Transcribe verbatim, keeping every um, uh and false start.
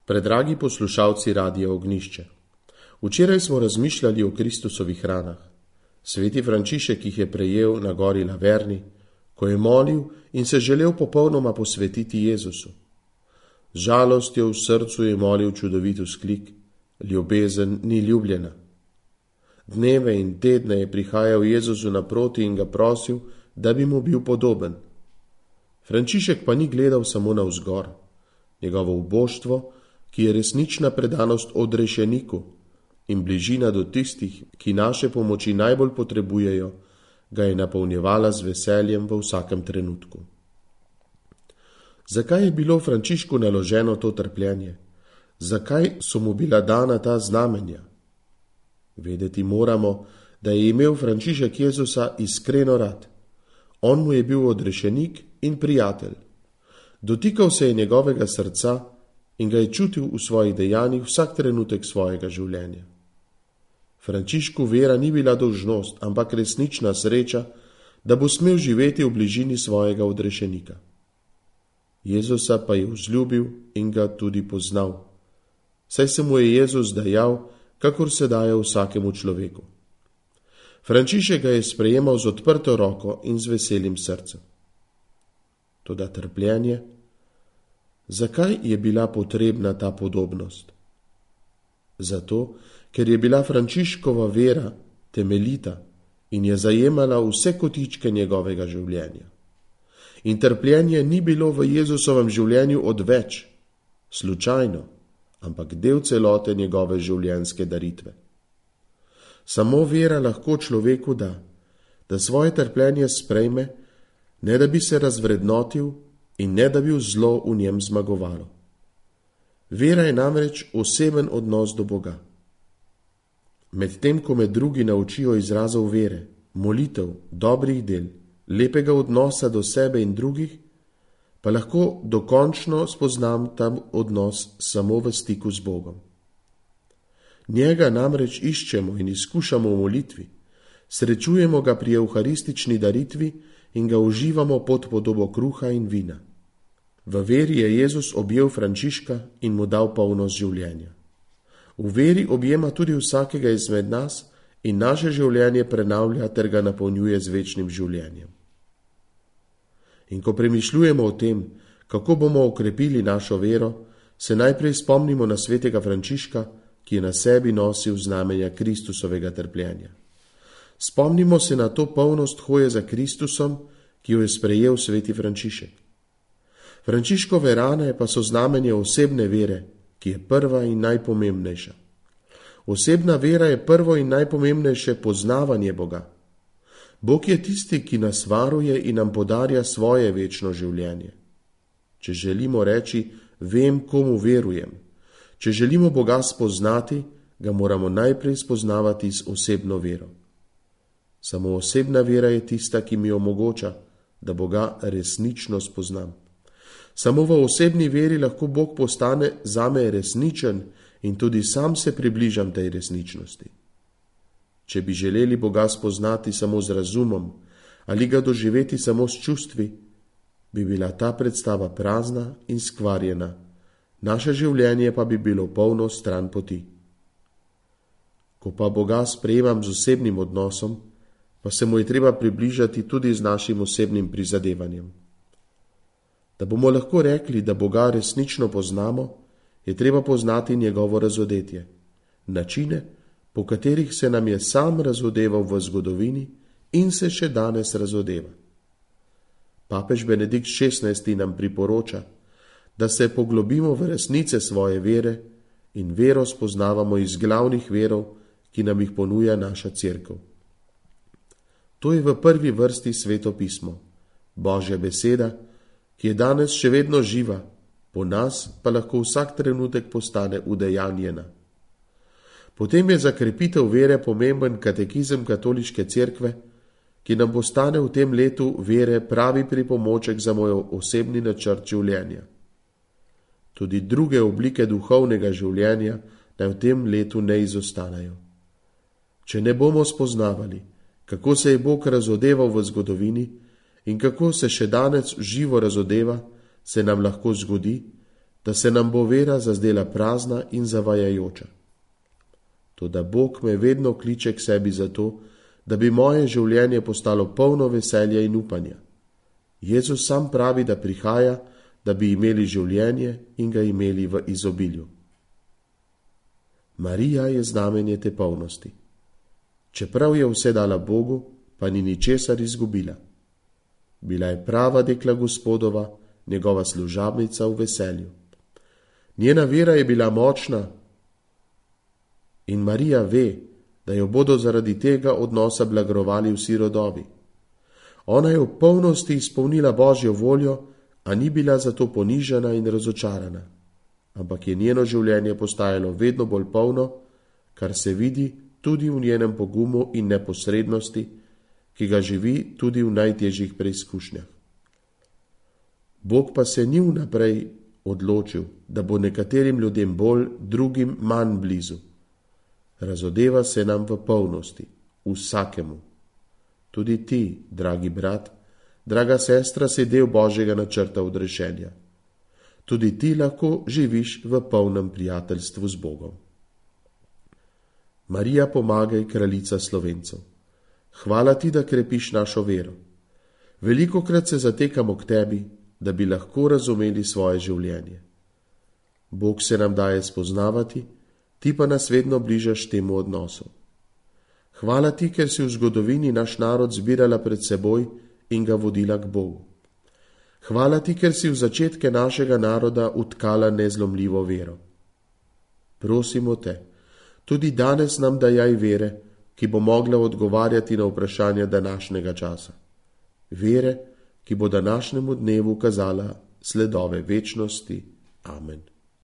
Predragi poslušalci Radia Ognjišče, včeraj smo razmišljali o Kristusovih ranah. Sveti Frančišek jih je prejel na gori Laverni, ko je molil in se želel popolnoma posvetiti Jezusu. Z žalostjo v srcu je molil čudovit vzklik: ljubezen ni ljubljena. Dneve in tedne je prihajal Jezusu naproti in ga prosil, da bi mu bil podoben. Frančišek pa ni gledal samo navzgor. Njegovo uboštvo, ki je resnična predanost odrešeniku in bližina do tistih, ki naše pomoči najbolj potrebujejo, ga je napolnjevala z veseljem v vsakem trenutku. Zakaj je bilo Frančišku naloženo to trpljenje? Zakaj so mu bila dana ta znamenja? Vedeti moramo, da je imel Frančišek Jezusa iskreno rad. On mu je bil odrešenik in prijatelj. Dotikal se je njegovega srca in ga je čutil v svojih dejanjih vsak trenutek svojega življenja. Frančišku vera ni bila dolžnost, ampak resnična sreča, da bo smel živeti v bližini svojega odrešenika. Jezusa pa je vzljubil in ga tudi poznal, saj se mu je Jezus dajal, kakor se daje vsakemu človeku. Frančišek ga je sprejemal z odprto roko in z veselim srcem. Toda trpljenje, zakaj je bila potrebna ta podobnost? Zato, ker je bila Frančiškova vera temeljita in je zajemala vse kotičke njegovega življenja. In trpljenje ni bilo v Jezusovem življenju odveč, slučajno, ampak del celote njegove življenjske daritve. Samo vera lahko človeku da, da svoje trpljenje sprejme, ne da bi se razvrednotil in ne da bi zlo v njem zmagovalo. Vera je namreč oseben odnos do Boga. Medtem ko me drugi naučijo izrazov vere, molitev, dobrih del, lepega odnosa do sebe in drugih, pa lahko dokončno spoznam ta odnos samo v stiku z Bogom. Njega namreč iščemo in izkušamo v molitvi, srečujemo ga pri evharistični daritvi in ga uživamo pod podobo kruha in vina. V veri je Jezus objel Frančiška in mu dal polnost življenja. V veri objema tudi vsakega izmed nas in naše življenje prenavlja ter ga napolnjuje z večnim življenjem. In ko premišljujemo o tem, kako bomo okrepili našo vero, se najprej spomnimo na svetega Frančiška, ki je na sebi nosil znamenja Kristusovega trpljenja. Spomnimo se na to polnost hoje za Kristusom, ki jo je sprejel sveti Frančišek. Frančiškove rane pa so znamenje osebne vere, ki je prva in najpomembnejša. Osebna vera je prvo in najpomembnejše poznavanje Boga. Bog je tisti, ki nas varuje in nam podarja svoje večno življenje. Če želimo reči, vem, komu verujem, če želimo Boga spoznati, ga moramo najprej spoznavati z osebno vero. Samo osebna vera je tista, ki mi omogoča, da Boga resnično spoznam. Samo v osebni veri lahko Bog postane zame resničen in tudi sam se približam tej resničnosti. Če bi želeli Boga spoznati samo z razumom ali ga doživeti samo s čustvi, bi bila ta predstava prazna in skvarjena, naše življenje pa bi bilo polno stran poti. Ko pa Boga sprejemam z osebnim odnosom, pa se mu je treba približati tudi z našim osebnim prizadevanjem. Da bomo lahko rekli, da Boga resnično poznamo, je treba poznati njegovo razodetje, načine, po katerih se nam je sam razodeval v zgodovini in se še danes razodeva. Papež Benedikt šestnajsti nam priporoča, da se poglobimo v resnice svoje vere in vero spoznavamo iz glavnih verov, ki nam jih ponuja naša cerkev. To je v prvi vrsti Sveto pismo, Božja beseda, ki je danes še vedno živa, po nas pa lahko vsak trenutek postane udejanjena. Potem je za krepitev vere pomemben katekizem katoliške cerkve, ki nam postane v tem letu vere pravi pripomoček za moj osebni načrt življenja. Tudi druge oblike duhovnega življenja naj v tem letu ne izostanejo. Če ne bomo spoznavali, kako se je Bog razodeval v zgodovini in kako se še danes živo razodeva, se nam lahko zgodi, da se nam bo vera zazdela prazna in zavajajoča. Toda Bog me vedno kliče k sebi zato, da bi moje življenje postalo polno veselja in upanja. Jezus sam pravi, da prihaja, da bi imeli življenje in ga imeli v izobilju. Marija je znamenje te polnosti. Čeprav je vse dala Bogu, pa ni ničesar izgubila. Bila je prava dekla Gospodova, njegova služabnica v veselju. Njena vera je bila močna in Marija ve, da jo bodo zaradi tega odnosa blagrovali vsi rodovi. Ona je v polnosti izpolnila Božjo voljo, a ni bila zato ponižana in razočarana, ampak je njeno življenje postajalo vedno bolj polno, kar se vidi tudi v njenem pogumu in neposrednosti, ki ga živi tudi v najtežjih preizkušnjah. Bog pa se ni vnaprej odločil, da bo nekaterim ljudem bolj, drugim manj blizu. Razodeva se nam v polnosti, vsakemu. Tudi ti, dragi brat, draga sestra, si del Božjega načrta odrešenja. Tudi ti lahko živiš v polnem prijateljstvu z Bogom. Marija, pomagaj, kraljica Slovencev. Hvala ti, da krepiš našo vero. Velikokrat se zatekamo k tebi, da bi lahko razumeli svoje življenje. Bog se nam daje spoznavati, ti pa nas vedno bližaš temu odnosu. Hvala ti, ker si v zgodovini naš narod zbirala pred seboj in ga vodila k Bogu. Hvala ti, ker si v začetke našega naroda utkala nezlomljivo vero. Prosimo te, tudi danes nam dajaj vere, ki bo mogla odgovarjati na vprašanja današnjega časa. Vere, ki bo današnjemu dnevu kazala sledove večnosti. Amen.